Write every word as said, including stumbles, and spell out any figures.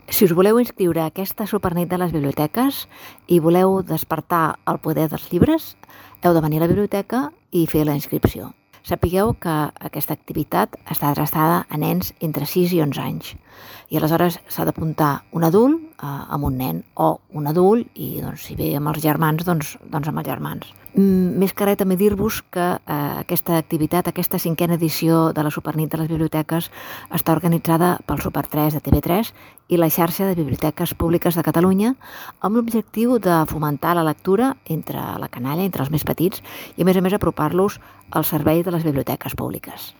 Si us voleu inscriure a aquesta Supernit de les Biblioteques i voleu despertar el poder dels llibres, heu de venir a la biblioteca i fer la inscripció. Sapigueu que aquesta activitat està adreçada a nens entre sis i onze anys i aleshores s'ha d'apuntar un adult eh, amb un nen o un adult i doncs, si ve amb els germans, doncs, doncs amb els germans. Mm, més que res també dir-vos que eh, aquesta activitat, aquesta cinquena edició de la Supernit de les Biblioteques està organitzada pel Super tres de T V tres i la xarxa de biblioteques públiques de Catalunya amb l'objectiu de fomentar la lectura entre la canalla, entre els més petits i a més a més apropar-los al servei de les biblioteques públiques.